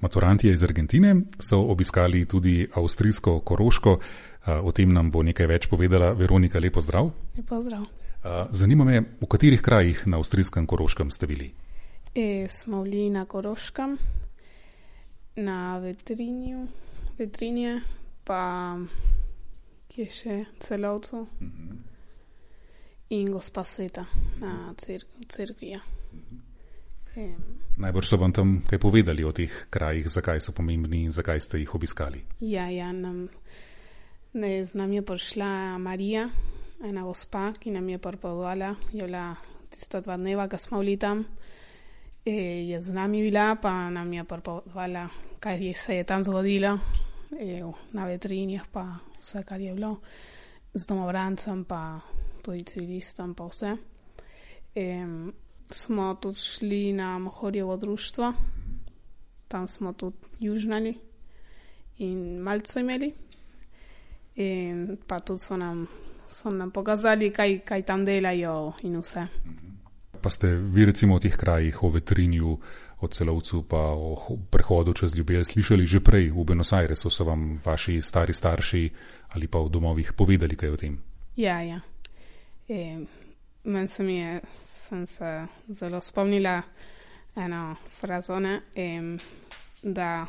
Maturantje iz Argentine so obiskali tudi avstrijsko Koroško. O tem nam bo nekaj več povedala Veronika. Lep pozdrav. Lep pozdrav. Zanima me, v katerih krajih na avstrijskem Koroškem ste bili? Smo bili na Koroškem, na Vetrinje, pa kje še, Celovcu in Gospa Sveta na cerkvi. Najbrž so vam tam kaj povedali o teh krajih, zakaj so pomembni in zakaj ste jih obiskali? Z nam je prišla Marija, ena gospa, ki nam je pripovedovala, je bila tista 2 dneva, ko smo bili tam, je z nami bila, pa nam je pripovedovala, kaj se je tam zgodilo, na Vetrinjah, pa vse, kar je bilo, z domovrancem, pa tudi civilistom, pa vse. Smo tudi šli na Mohorjevo društvo, tam smo tudi južnali in malco imeli. In pa tudi so nam pokazali, kaj tam delajo in vse. Pa ste vi recimo o teh krajih, o Vetrinju, o Celovcu, pa o prehodu čez Ljubelj slišali že prej v Buenos Airesu? So vam vaši stari starši ali pa v domovih povedali kaj o tem? Ja. Meni sem se zelo spomnila eno frazone, da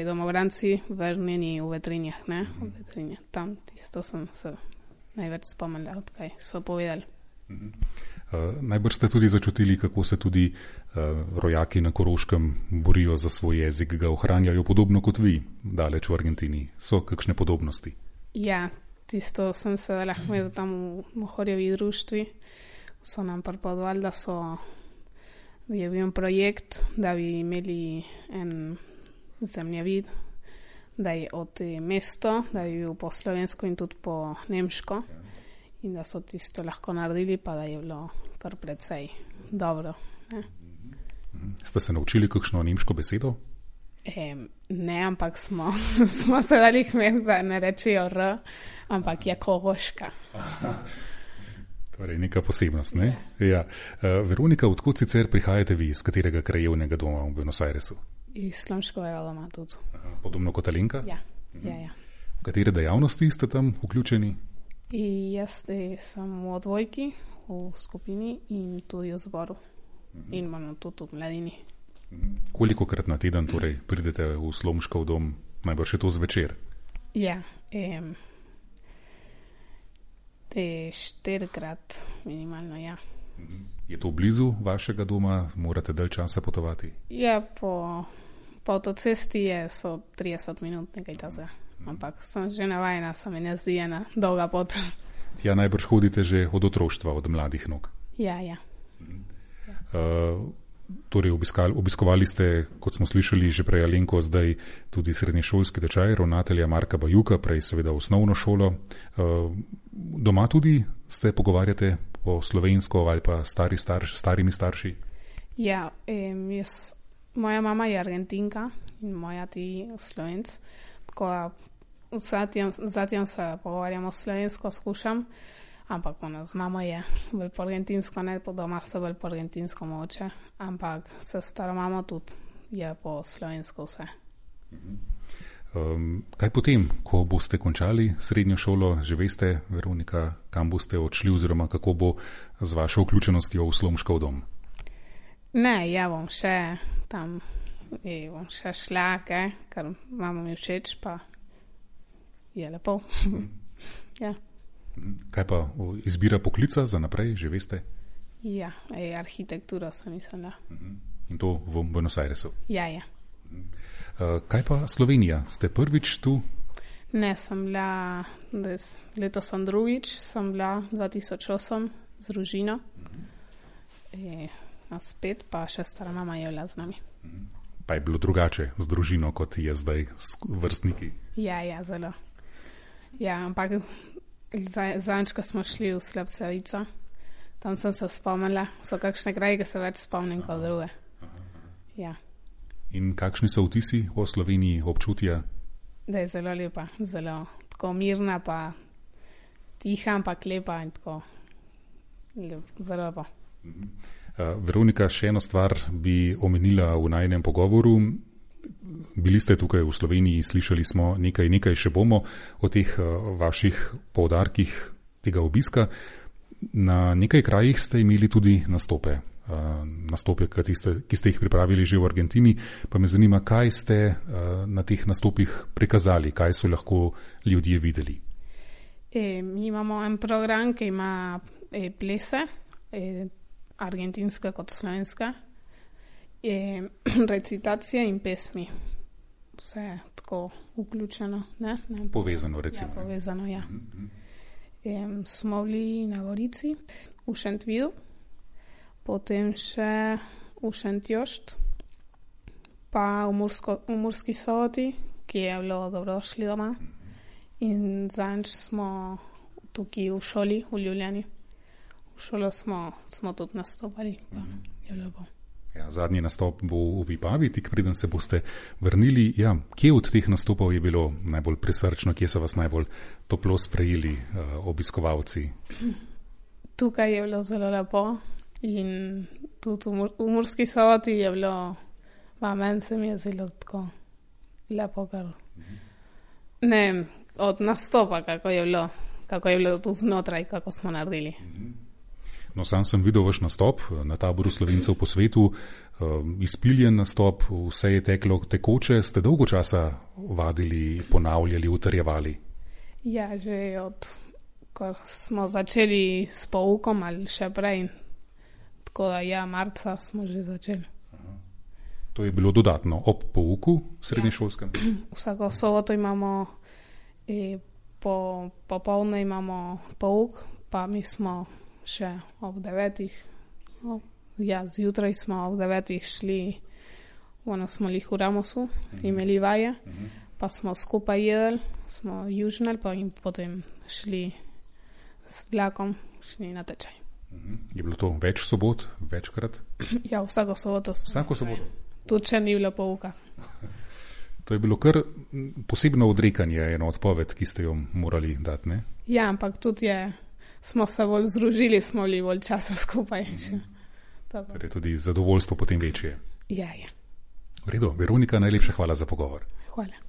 domovranci vrnjeni v Vetrinjah, ne? V Vetrinjah. Tam tisto sem se največ spomnila, odkaj so povedali. Najbrž ste tudi začutili, kako se tudi rojaki na Koroškem borijo za svoj jezik, ga ohranjajo podobno kot vi, daleč v Argentini. So kakšne podobnosti? Ja, tisto sem se lahko imel tam v Mohorjevi društvi. So nam pripovedovali, da je bil projekt, da bi imeli en zemljevid, da je od mesto, da bi bil po slovensko in tudi po nemško in da so tisto lahko naredili, pa da je bilo kar precej dobro. Ste se naučili kakšno nemško besedo? Ne, ampak smo se dali hmet, da ne rečejo R, ampak je Koroška. Torej, neka posebnost, ne? Ja. Veronika, odkot sicer prihajate vi, iz katerega krajevnega doma v Buenos Airesu? Iz Slomškovega doma tudi. Podobno kot Alenka? Ja. V katere dejavnosti ste tam vključeni? Jaz sem v odbojki, v skupini in tudi v zboru. In imamo tudi v mladini. Kolikokrat na teden torej pridete v Slomškov dom, najbrž je to zvečer? Ja, 4-krat minimalno, ja. Je to blizu vašega doma? Morate dalj časa potovati? Ja, po avtocesti so 30 minut nekaj tazga. Ampak sem že navajena, se mi ne zdi ena dolga pot. Tja najbrž hodite že od otroštva, od mladih nog? Ja. Torej obiskovali ste, kot smo slišali že prej Alenko, zdaj tudi srednješolski tečaj ravnatelja Marka Bajuka, prej seveda osnovno šolo. Doma tudi se pogovarjate po slovensko ali pa starimi starši? Ja, moja mama je Argentinka in moja ti Slovenc, tako da zatim se pogovarjamo slovensko, skušam, ampak z mamo je bolj po argentinsko, ne po doma se bolj po argentinsko moče, ampak se staro mamo tudi je po slovensko vse. Kaj potem, ko boste končali srednjo šolo, že veste, Veronika, kam boste odšli oziroma kako bo z vašo vključenostjo v Slomškov dom? Ne, ja bom še tam, bom še šla, ker mama mi všeč, pa je lepo. Ja. Kaj pa izbira poklica za naprej, že veste? Ja, arhitektura sem mislila. In to v Buenos Airesu? Ja. Kaj pa Slovenija? Ste prvič tu? Ne, sem bila, letos sem drugič, sem bila 2008 z družino. Spet pa še stara mama je bila z nami. Pa je bilo drugače z družino, kot je zdaj s vrstniki? Ja, zelo. Ja, ampak zadnjič, ko smo šli v Slepcevico, tam sem se spomnila, so kakšne kraje, ki se več spomnim kot druge. Ja. In kakšni so vtisi o Sloveniji, občutja? Da je zelo lepa, zelo tako mirna, pa tiha, ampak lepa in tako zelo lepa. Veronika, še eno stvar bi omenila v najinem pogovoru. Bili ste tukaj v Sloveniji, slišali smo nekaj še bomo o teh vaših poudarkih tega obiska. Na nekaj krajih ste imeli tudi nastope, ki ste jih pripravili že v Argentini, pa me zanima, kaj ste na teh nastopih prikazali, kaj so lahko ljudje videli. Mi imamo en program, ki ima plese, argentinska kot slovenska, recitacije in pesmi. Vse je tako vključeno. Ne? Povezano, recimo. Ja, povezano, ja. Smo bili na Gorici, v Šentvidu, potem še v Šentjošt, pa v Murski Soboti, ki je bilo dobrodošli doma. In zadnjič smo tukaj v šoli, v Ljubljani. V šolo smo tudi nastopali. Ja, zadnji nastop bo v Vipavi, tik preden se boste vrnili. Ja, kje od teh nastopov je bilo najbolj prisrčno, kje so vas najbolj toplo sprejeli obiskovalci? Tukaj je bilo zelo lepo in tudi v Murski Soboti je bilo, meni se mi je zelo tako lepo, ker ne vem, od nastopa, kako je bilo tu znotraj, kako smo naredili. No, sam sem videl vaš nastop na taboru Slovencev po svetu, izpiljen nastop, vse je teklo tekoče, ste dolgo časa vadili, ponavljali, utrjevali? Ja, že ko smo začeli s poukom ali še prej, tako da marca smo že začeli. To je bilo dodatno ob pouku srednješolskem? Ja. Vsako soboto imamo, popoldne imamo pouk, pa mi smo še ob 9. Zjutraj smo ob 9. šli, smo bili v Ramosu, imeli vaje, pa smo skupaj jedli, smo južnali, pa in potem šli s vlakom, šli na tečaj. Je bilo to več sobot, večkrat? Ja, vsako soboto. Vsako soboto? Tudi če ni bilo pouka. To je bilo kar posebno odrekanje, eno odpoved, ki ste jo morali dati, ne? Ja, ampak tudi smo se bolj združili, smo bili bolj časa skupaj. Torej tudi zadovoljstvo potem večje. Ja. V redu, Veronika, najlepša hvala za pogovor. Hvala.